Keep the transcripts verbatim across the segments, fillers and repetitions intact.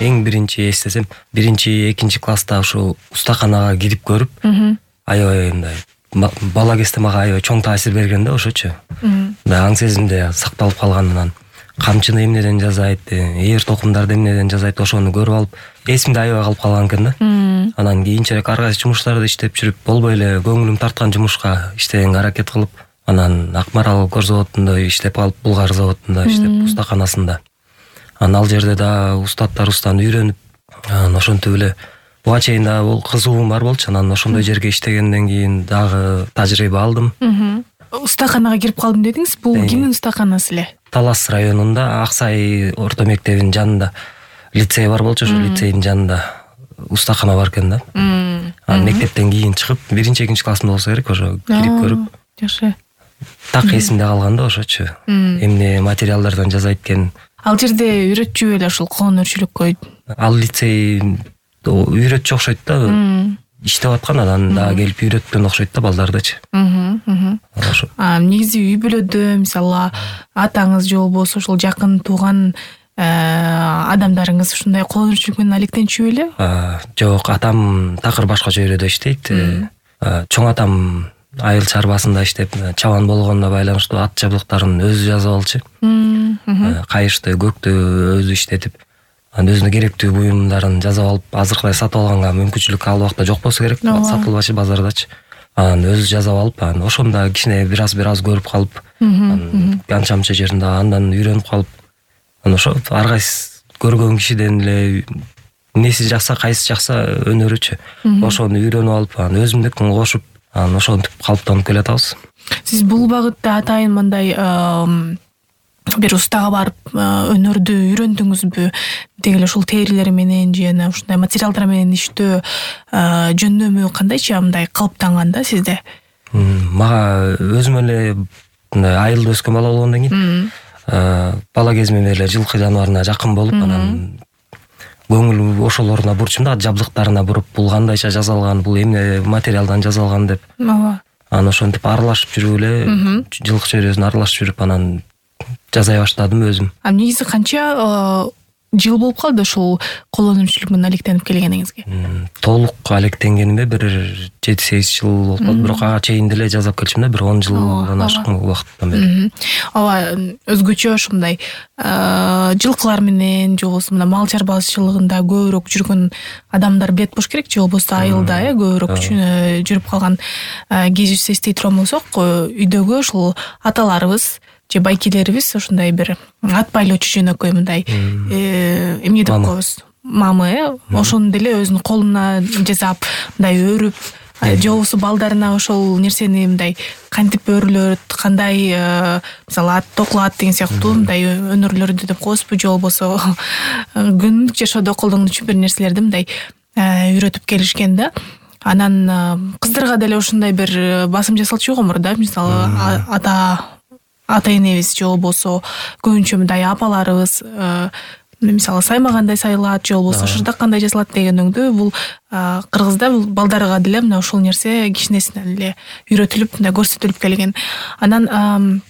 эң биринчи эстесем, биринчи, экинчи класста ушу устаканага кирип көрүп, аябай мындай бала кезде мага аябай чоң таасир берген да ошочу. Мындай аң сезимде сакталып калганынан. Камчыны эмнеден жазайт, ээр токумдарды эмнеден жазайт, ошону көрүп алып, эсимде аябай калып калган экен да. Анан кийинчерээк ар кайсы жумуштарды иштеп жүрүп, болбой эле көңүлүм тарткан жумушка иштегенге аракет кылып, анан Акмарал кор заводунда иштеп калып, Булгар заводунда иштеп, устаканасында. Анан ал жерде да устаттарыбыздан үйрөнүп, анан ошентип эле буга чейин да бул кызыгуум бар болчу. Анан ошондой жерге иштегенден кийин дагы тажрыйба алдым. Устаканага кирип калдым дедиңиз. Бул кимдин устаканасы эле? Талас районунда Аксай орто мектебинин жанында лицей бар болчу, ошо лицейдин жанында устакана бар экен да. Анан мектептен кийин чыгып, биринчи, экинчи классымда болсо керек, ошо кирип көрүп. Жакшы. Так эсимде калган да ошочу. Эмне материалдардан жазайт экен. Ал жерде үйрөтчү эле ушул кол өнөрчүлүккө? Ал лицей үйрөтчү окшойт да. Иштеп аткан, анан дагы келип үйрөткөн окшойт да балдардычы. А негизи үй бүлөдө мисалы атаңыз же болбосо ошол жакын тууган адамдарыңыз ушундай кол өнөрчүлүк менен алектенчү беле? Жок, атам такыр башкача өрөдө иштейт. Чоң атам айыл чарбасында иштеп, чабан болгонуна байланыштуу ат жабдыктарын өзү жазып алчу. Кайышты, көктү өзү иштетип, анан өзүнө керектүү буюмдарын жазып алып, азыркыдай сатып алганга мүмкүнчүлүк ал убакта жок болсо керек, сатылбачы базардачы. Анан өзү жазып алып, анан ошондо кичине бир аз бир аз көрүп калып, анча мынча жеринде андан үйрөнүп калып, анан ошо ар кайсы көргөн кишиден эле эмнеси жакса, кайсы жакса өнөрүчү. Ошону үйрөнүп алып, анан өзүмдүкүн кошуп, анан ошентип калыптанып келатабыз. Сиз бул багытта атайын мындай бир устага барып өнөрдү үйрөндүңүзбү? Деги эле ушул терилер менен же ушундай материалдар менен иштөө жөндөмү кандайча мындай калыптанган да сизде? Мага өзүм эле мындай айылда өскөн бала болгондон кийин бала кезимден эле жылкы жаныбарына жакын болуп, анан көңүл ошолоруна бурчум да, жабдыктарына буруп, бул кандайча жасалган, бул эмне материалдан жасалган деп. Анан ошентип аралашып жүрүп эле, жылкы чөйрөсүн аралашып жүрүп, анан жасай баштадым өзүм. А негизи канча жыл болуп калды ушул кол өнөрчүлүк менен алектенип келгениңизге? Толук алектенгениме бир жети сегиз жыл болуп калды, бирок ага чейин деле жасап келчүмүн да, бир он жылдан ашкан убакыттан бери. Ооба, өзгөчө ушундай жылкылар менен же болбосо мына мал чарбачылыгында көбүрөөк жүргөн адамдар билет болуш керек, же болбосо айылда э көбүрөөк жүрүп калган кезибизди эстей турган болсок, үйдөгү ушул аталарыбыз же байкелерибиз ошондой бир ат байлоочу жөнөкөй мындай эмне деп коебуз, мамы, ошону деле өзүнүн колуна жасап, мындай өрүп, же болбосо балдарына ошол нерсени мындай кантип өрүлөт, кандай мисалы ат токулат деген сыяктуу мындай өнөрлөрдү деп коебузбу, же болбосо күндүк жашоодо колдонуучу бир нерселерди мындай үйрөтүп келишкен да. Анан кыздарга деле ушундай бир басым жасалчу гомур да, мисалы ата ата энебиз же болбосо көбүнчө мындай апаларыбыз мисалы сайма кандай сайылат, же болбосо шырдак кандай жасалат дегениңдүү, бул кыргызда бул балдарга деле мына ушул нерсе кичинесинен эле үйрөтүлүп, мындай көрсөтүлүп келген. Анан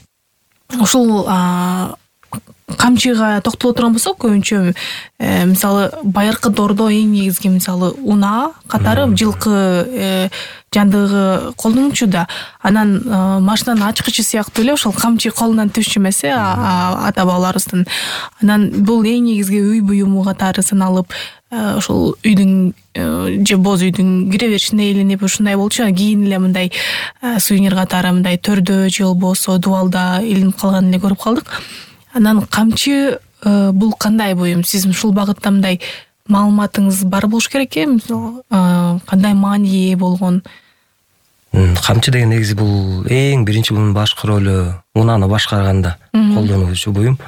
ушул камчыга токтоло турган болсок, көбүнчө мисалы байыркы доордо эң негизги мисалы унаа катары жылкы жандыгы колдонулчу да. Анан машинанын ачкычы сыяктуу эле ошол камчы колунан түшчү эмес э ата бабаларыбыздын. Анан бул эң негизги үй буюму катары саналып, ошол үйдүн же боз үйдүн кире беришине илинип ушундай болчу. Кийин эле мындай сувенир катары мындай төрдө же болбосо дубалда илинип калганын эле көрүп калдык. Анан камчы бул кандай буюм? Сиз ушул багытта мындай маалыматыңыз бар болуш керек э, мисалы кандай мааниге ээ болгон? Камчы деген негизи бул эң биринчи мунун башкы ролу унааны башкарганда колдонулуучу буюм.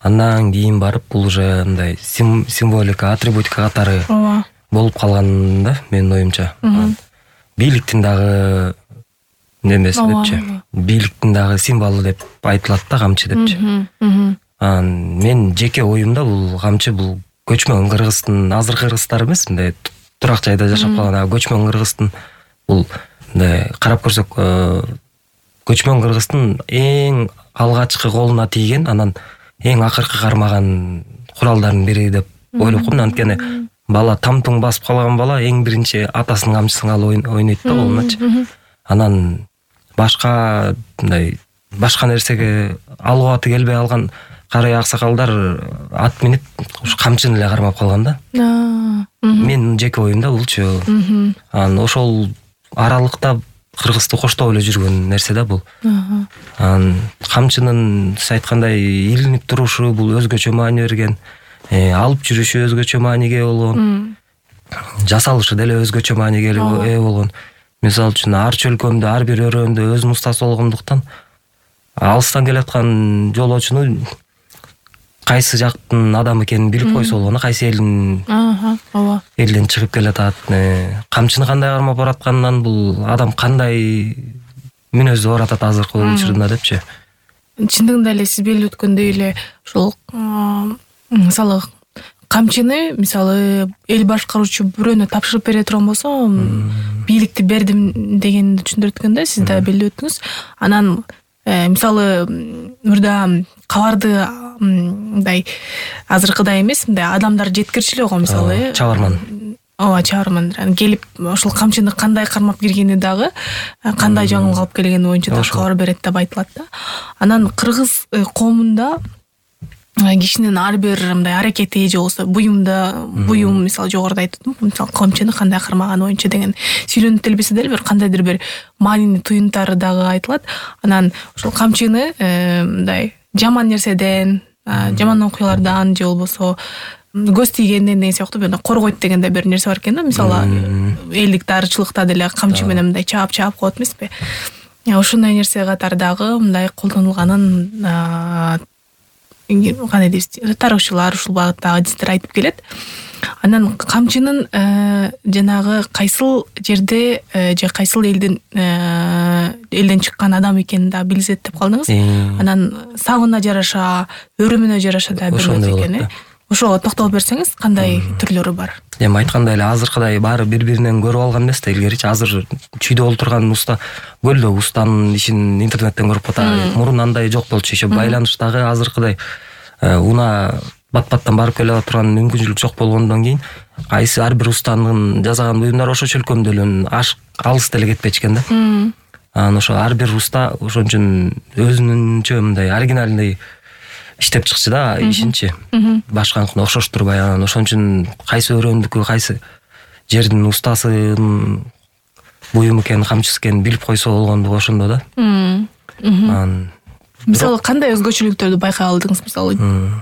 Андан кийин барып бул уже мындай символика, атрибутика катары болуп калган да, менин оюмча. Бийликтин дагы немеси депчи, бийликтин дагы символу деп айтылат да камчы депчи. Анан мен жеке оюмда бул камчы бул көчмөн кыргыздын, азыркы кыргыздар эмес, мындай турак жайда жашап калган көчмөн кыргыздын, бул мындай карап көрсөк көчмөн кыргыздын эң алгачкы колуна тийген, анан эң акыркы кармаган куралдардын бири деп ойлоп койдум. Анткени бала тамтың басып калган бала эң биринчи атасынын камчысын алып ойнойт да колуначы. Анан башка мындай башка нерсеге алгыбаты келбей алган карай аксакалдар ат минип ушу камчыны эле кармап калган да. Мен жеке оюмда булчу. Анан ошол аралыкта кыргызды коштоп эле жүргөн нерсе да бул. Анан камчынын сиз айткандай илинип турушу бул өзгөчө маани берген, алып жүрүшү өзгөчө мааниге болгон, жасалышы деле өзгөчө мааниге ээ болгон. Мисалы үчүн ар чөлкөмдө ар бир өрөөндө өзүнүн устасы болгондуктан алыстан келаткан жолоочуну кайсы жактын адамы экенин билип койсо болгону, кайсы элдин ооба элден чыгып келатат, камчыны кандай кармап баратканынан бул адам кандай мүнөздө баратат азыркы учурунда депчи. Чындыгында эле сиз белип өткөндөй эле ошол мисалы камчыны мисалы эл башкаруучу бирөөнө тапшырып бере турган болсо бийликти бердим дегенди түшүндүрүп өткөн да, сиз да белип өттүңүз. Анан мисалы мурда кабарды мындай азыркыдай эмес, мындай адамдар жеткирчү эле го мисалы чабарман. Ооба, чабарман келип ошол камчыны кандай кармап киргени дагы, кандай жаңылык алып келгени боюнча да кабар берет деп айтылат да. Анан кыргыз коомунда кишинин ар бир мындай аракети же болбосо буюмда буюм мисалы жогоруда айттым, мисалы камчыны кандай кармаганы боюнча деген сүйлөнүп келбесе деле бир кандайдыр бир маанини туюнтары дагы айтылат. Анан ошол камчыны мындай жаман нерседен, жаман окуялардан же болбосо көз тийгенден деген сыяктуу бир коргойт деген да бир нерсе бар экен да. Мисалы элдик дарычылыкта деле камчы менен мындай чаап-чаап коет эмеспи? Ошондой нерсе катары дагы мындай колдонулганын кандай дейбиз, тарыхчылар ушул багыттагы адистер айтып келет. Анан камчынын жанагы кайсыл жерде же кайсыл элдин элден чыккан адам экенин да билсет деп калдыңыз. Анан сабына жараша, өрүмүнө жараша да бөлөт экен. Ошого токтолуп берсеңиз, кандай түрлөрү бар? Эми айткандай эле азыркыдай баары бири-биринен көрүп алган эмес да илгеричи. Азыр чүйдө олтурган уста көлдө устанын ишин интернеттен көрүп атат. Мурун андай жок болчу, иши байланыштагы азыркыдай уна бат-баттан барып келе турган мүмкүнчүлүк жок болгондон кийин кайсы ар бир устанын жасаган буюмдары ошо чөлкөмдө эле алыс деле кетпечкен да. Анан ошо ар бир уста ошон үчүн өзүнүнчө мындай оригинальный иштеп чыкчы да ишинчи. Башканыкына окшоштурбай. Анан ошон үчүн кайсы өрөөндүкү, кайсы жердин устасын буюм экенин, камчысы экенин билип койсо болгондугу ошондо да. Анан мисалы кандай өзгөчөлүктөрдү байкай алдыңыз? Мисалы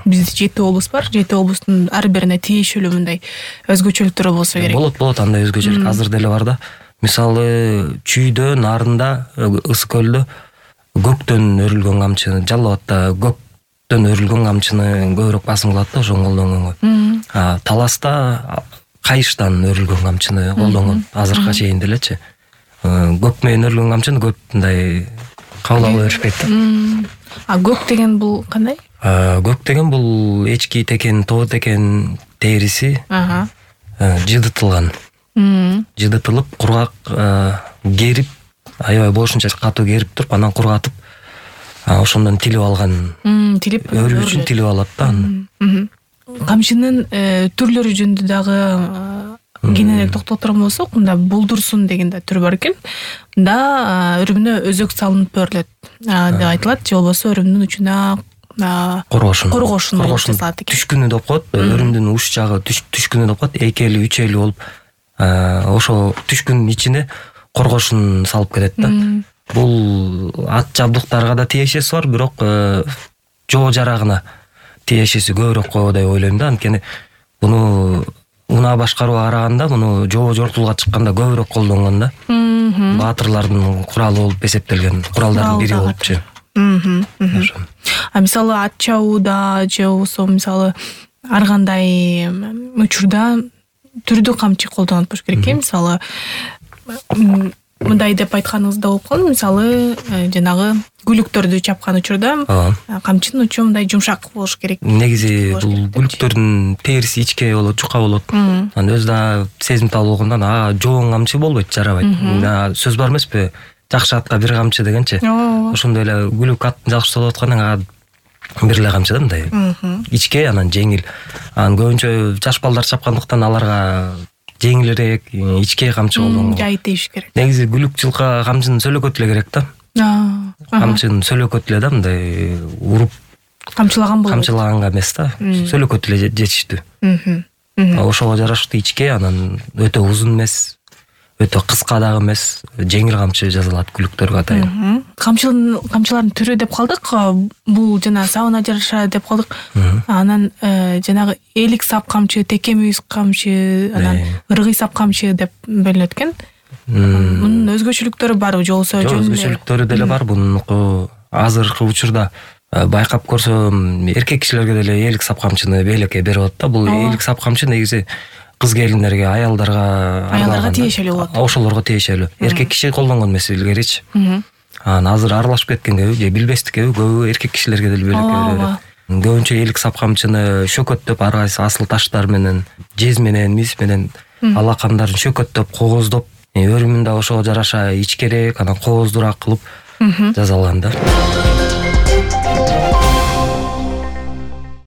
бизде жети облус бар. жети облустун ар бирине тиешелүү мындай өзгөчөлүктөрү болсо керек. Болот, болот андай өзгөчөлүк азыр деле бар да. Мисалы чүйдө, нарында, Ысык көлдө көктөн өрүлгөн камчыны, Жалал Абадта көктөн өрүлгөн камчыны көбүрөөк басым кылат да, ошону колдонгонго. Таласта кайыштан өрүлгөн камчыны колдонгон азыркыга чейин делечи. Көк менен өрүлгөн камчыны көп мындай кабыл ала беришпейт да. А көк деген бул кандай? Көк деген бул эчки текен, тоо текен териси жыдытылган. Жыдытылып, кургак керип, аябай болушунча катуу керип туруп, анан кургатып, ошондон тилип алган. Тилип өрүү үчүн тилип алат да. Камчынын түрлөрү жөнүндө дагы кененирээк токтолуп турган болсок, мында булдурсун деген да түр бар экен. Мында өрүмүнө өзөк салынып берилет деп айтылат, же болбосо өрүмдүн учуна коргошун. Коргошун жасалат экен. Түшкүнү деп коет, өрүмдүн уч жагы түшкүнү деп коет, эки эли, үч эли болуп, ошо түшкүнүн ичине коргошун салып келет да. Бул ат жабдыктарга да тиешеси бар, бирок жоо жарагына тиешеси көбүрөөк го деп ойлойм да. Анткени буну уна башкарууга караганда муну жоо жортулга чыкканда көбүрөөк колдонгон да. Баатырлардын куралы болуп эсептелген куралдардын бири болупчу. А мисалы ат чабууда же болбосо мисалы ар кандай учурда түрдүү камчы колдонот болуш керек экен. Мисалы мындай деп айтканыңызда болуп калды, мисалы жанагы гүлүктөрдү чапкан учурда камчынын учу мындай жумшак болуш керек. Негизи бул гүлүктөрдүн териси ичке болот, жука болот. Анан өзү да сезимтал болгондон а жоон камчы болбойт, жарабайт. Сөз бар эмеспи? Жакшы атка бир камчы дегенчи. Ошондой эле гүлүк аттын жакшы болуп аткандан бир эле камчы да мындай ичке, анан жеңил. Анан көбүнчө жаш балдар чапкандыктан аларга жеңилирээк ичке камчы колдонгон. Жай тийиш керек. Негизи күлүк жылка камчынын сөлөкөтү эле керек да. Камчынын сөлөкөтү эле да, мындай уруп камчылаган болот. Камчылаганга эмес да, сөлөкөтү эле жетиштүү. Ошого жараштуу ичке, анан өтө узун эмес, өтө кыска дагы эмес, жеңил камчы жасалат күлүктөргө атайын. Камчылардын түрү деп калдык. Бул жана сабына жараша деп калдык. Анан жанагы элик сап камчы, теке мүйүз камчы, анан ыргый сап камчы деп бөлүнөт экен. Мунун өзгөчөлүктөрү барбы же болбосо жөн эле? Өзгөчөлүктөрү деле бар. Бунун азыркы учурда байкап көрсөм эркек кишилерге деле элик сап камчыны белекке берип атат да. Бул элик сап камчы негизи кыз келиндерге, аялдарга аялдарга тиешелүү болот. Ошолорго тиешелүү. Эркек киши колдонгон эмес илгеричи. Анан азыр аралашып кеткенге же билбестикке көбү эркек кишилерге деле белекке берет. Көбүнчө элик сап камчыны шөкөттөп, ар кайсы асыл таштар менен, жез менен, мис менен алакандарын шөкөттөп, кооздоп, өрүмүн да ошого жараша ичкерээк, анан кооздуураак кылып жасалган да.